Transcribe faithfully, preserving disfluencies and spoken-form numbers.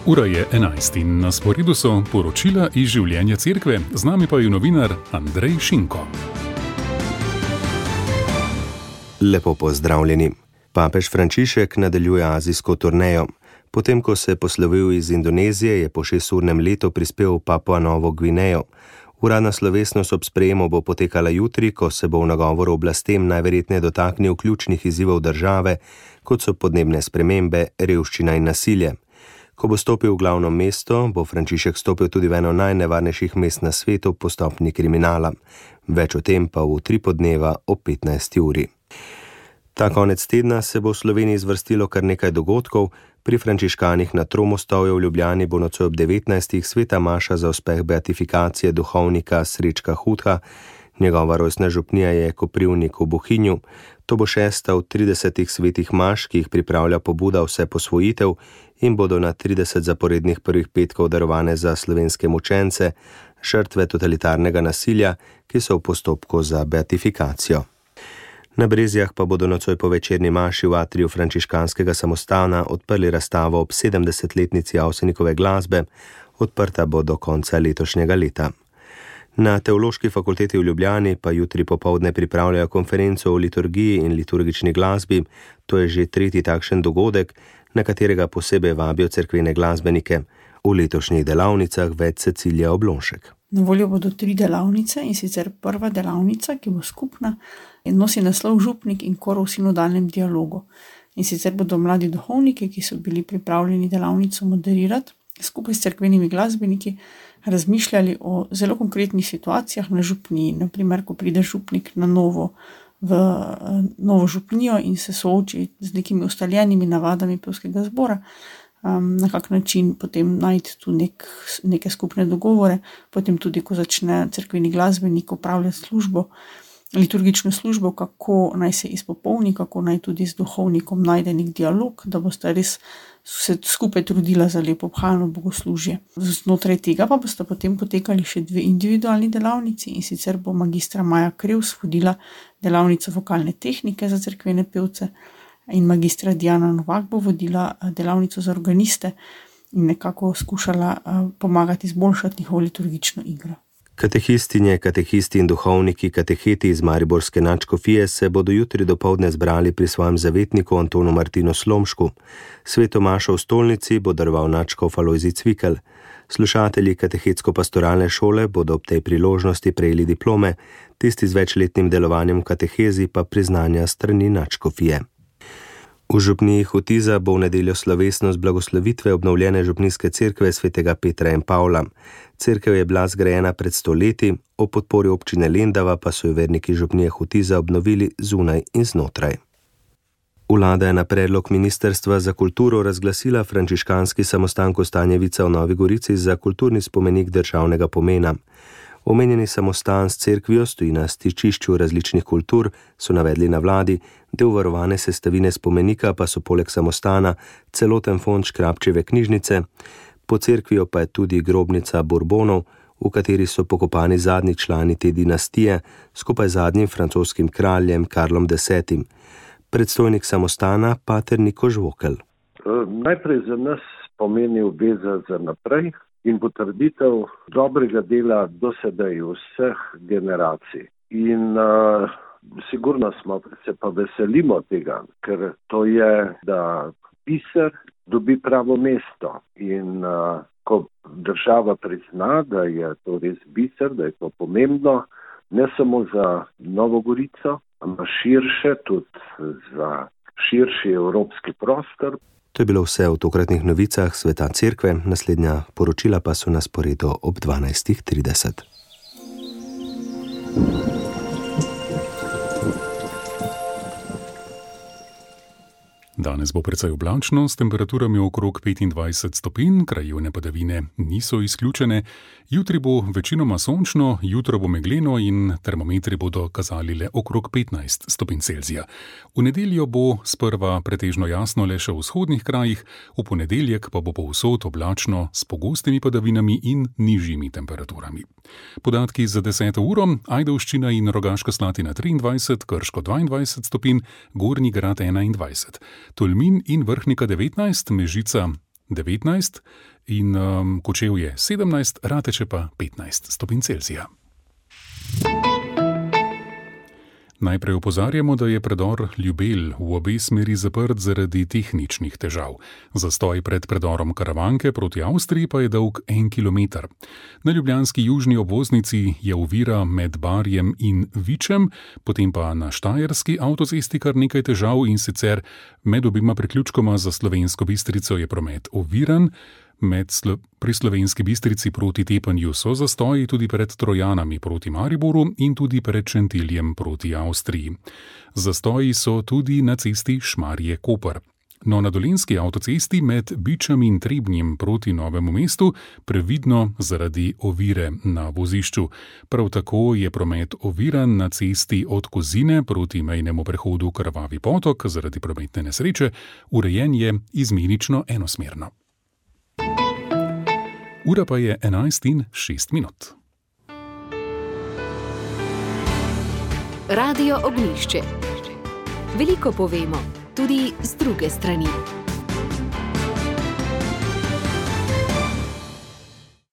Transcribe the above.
Ura je enajst in na sporedu so poročila iz življenja cerkve, z nami pa je novinar Andrej Šinko. Lepo pozdravljeni. Papež Frančišek nadaljuje azijsko turnejo. Potem, ko se je poslovil iz Indonezije, je po šesturnem letu prispel v Papua Novo Gvinejo. Uradna slovesnost ob sprejemu bo potekala jutri, ko se bo v nagovoru oblastem najverjetneje dotaknil ključnih izzivov države, kot so podnebne spremembe, revščina in nasilje. Ko bo stopil v glavno mesto, bo Frančišek stopil tudi v eno najnevarnejših mest na svetu po stopnji kriminala. Več o tem pa v tri podneva ob petnajsti uri. Ta konec tedna se bo v Sloveniji zvrstilo kar nekaj dogodkov. Pri frančiškanih na Tromostovju v Ljubljani bo nocoj ob devetnajstih sveta maša za uspeh beatifikacije duhovnika Srečka Hudha. Njegova rojstna župnija je Koprivnik v Bohinju. To bo šesta od tridesetih svetih maš, ki jih pripravlja pobuda Vse posvojitev in bodo na trideset zaporednih prvih petkov darovane za slovenske mučence, žrtve totalitarnega nasilja, ki so v postopku za beatifikacijo. Na Brezjah pa bodo nocoj po večerni maši v atriju frančiškanskega samostana odprli razstavo ob sedemdesetletnici Avsenikove glasbe, odprta bo do konca letošnjega leta. Na Teološki fakulteti v Ljubljani pa jutri popoldne pripravljajo konferenco o liturgiji in liturgični glasbi. To je že tretji takšen dogodek, na katerega posebej vabijo cerkvene glasbenike. V letošnjih delavnicah več Cecilija Oblonšek. Na voljo bodo tri delavnice, in sicer prva delavnica, ki bo skupna, nosi naslov Župnik in kor v sinodalnem dialogu. In sicer bodo mladi duhovniki, ki so bili pripravljeni delavnico moderirati, skupaj s cerkvenimi glasbeniki razmišljali o zelo konkretnih situacijah na župniji. Naprimer, ko pride župnik na novo v novo župnijo in se sooči z nekimi ustaljenimi navadami pevskega zbora, um, na kak način potem najti tu nek, neke skupne dogovore, potem tudi, ko začne cerkveni glasbenik opravljati službo, liturgično službo, kako naj se izpopolni, kako naj tudi z duhovnikom najde nek dialog, da boste res se skupaj trudila za lepo obhajano bogoslužje. Znotraj tega pa boste potem potekali še dve individualni delavnici, in sicer bo magistra Maja Krevs vodila delavnico vokalne tehnike za cerkvene pevce in magistra Diana Novak bo vodila delavnico za organiste in nekako skušala pomagati izboljšati njihovo liturgično igro. Katehistinje, katehisti in duhovniki kateheti iz mariborske nadškofije se bodo jutri dopoldne zbrali pri svojem zavetniku Antonu Martinu Slomšku. Sveto mašo v stolnici bo daroval nadškof Alojzij Cvikl. Slušatelji katehetsko-pastoralne šole bodo ob tej priložnosti prejeli diplome, tisti z večletnim delovanjem v katehezi pa priznanja strani nadškofije. V župniji Hotiza bo v nedeljo slovesnost blagoslovitve obnovljene župnijske cerkve svetega Petra in Pavla. Cerkev je bila zgrajena pred sto leti, ob podpori občine Lendava pa so jo verniki župnije Hotiza obnovili zunaj in znotraj. Vlada je na predlog Ministrstva za kulturo razglasila frančiškanski samostan Kostanjevica v Novi Gorici za kulturni spomenik državnega pomena. Omenjeni samostan s cerkvijo stoji na stičišču različnih kultur, so navedli na vladi, del varovane sestavine spomenika pa so poleg samostana celoten fond Škrabčeve knjižnice, pod cerkvijo pa je tudi grobnica Bourbonov, v kateri so pokopani zadnji člani te dinastije, skupaj z zadnjim francoskim kraljem Karlom desetim. Predstojnik samostana pater Niko Žvokelj. Najprej za nas pomeni obveza za naprej in potrditev dobrega dela dosedaj vseh generacij. In uh, sigurno smo se pa veselimo tega, ker to je, da biser dobi pravo mesto. In uh, ko država prizna, da je to res biser, da je to pomembno, ne samo za Novo Gorico, ampak širše, tudi za širši evropski prostor. To je bilo vse v tokratnih novicah sveta cerkve, naslednja poročila pa so na sporedu ob dvanajstih trideset. Danes bo precej oblačno, s temperaturami okrog petindvajset stopinj, krajevne padavine niso izključene. Jutri bo večinoma sončno, jutro bo megleno in termometri bodo kazali le okrog petnajst stopinj Celzija. V nedeljo bo sprva pretežno jasno le še v vzhodnih krajih, v ponedeljek pa bo povsod oblačno s pogostimi padavinami in nižjimi temperaturami. Podatki za deseto uro: Ajdovščina in Rogaška Slatina triindvajset, Krško dvaindvajset stopinj, Gornji Grad enaindvajset. Tolmin in Vrhnika devetnajst, Mežica devetnajst in um, Kočevje sedemnajst, Rateče pa petnajst stopinj Celzija. Najprej opozarjamo, da je predor Ljubelj v obe smeri zaprt zaradi tehničnih težav. Zastoj pred predorom Karavanke proti Avstriji pa je dolg en kilometer. Na ljubljanski južni obvoznici je ovira med Barjem in Vičem, potem pa na štajerski avtocesti kar nekaj težav, in sicer med obima priključkoma za Slovensko Bistrico je promet oviran. Med slo- pri Slovenski Bistrici proti Tepanju so zastoji tudi pred Trojanami proti Mariboru in tudi pred Šentiljem proti Avstriji. Zastoji so tudi na cesti Šmarje-Koper. No, na dolenjski avtocesti med Bičem in Trebnjem proti Novemu mestu previdno zaradi ovire na vozišču. Prav tako je promet oviran na cesti od Kozine proti mejnemu prehodu Krvavi potok zaradi prometne nesreče, urejen je izmenično enosmerno. Ura pa je enajst in šest minut. Radio Ognjišče. Veliko povemo, tudi z druge strani.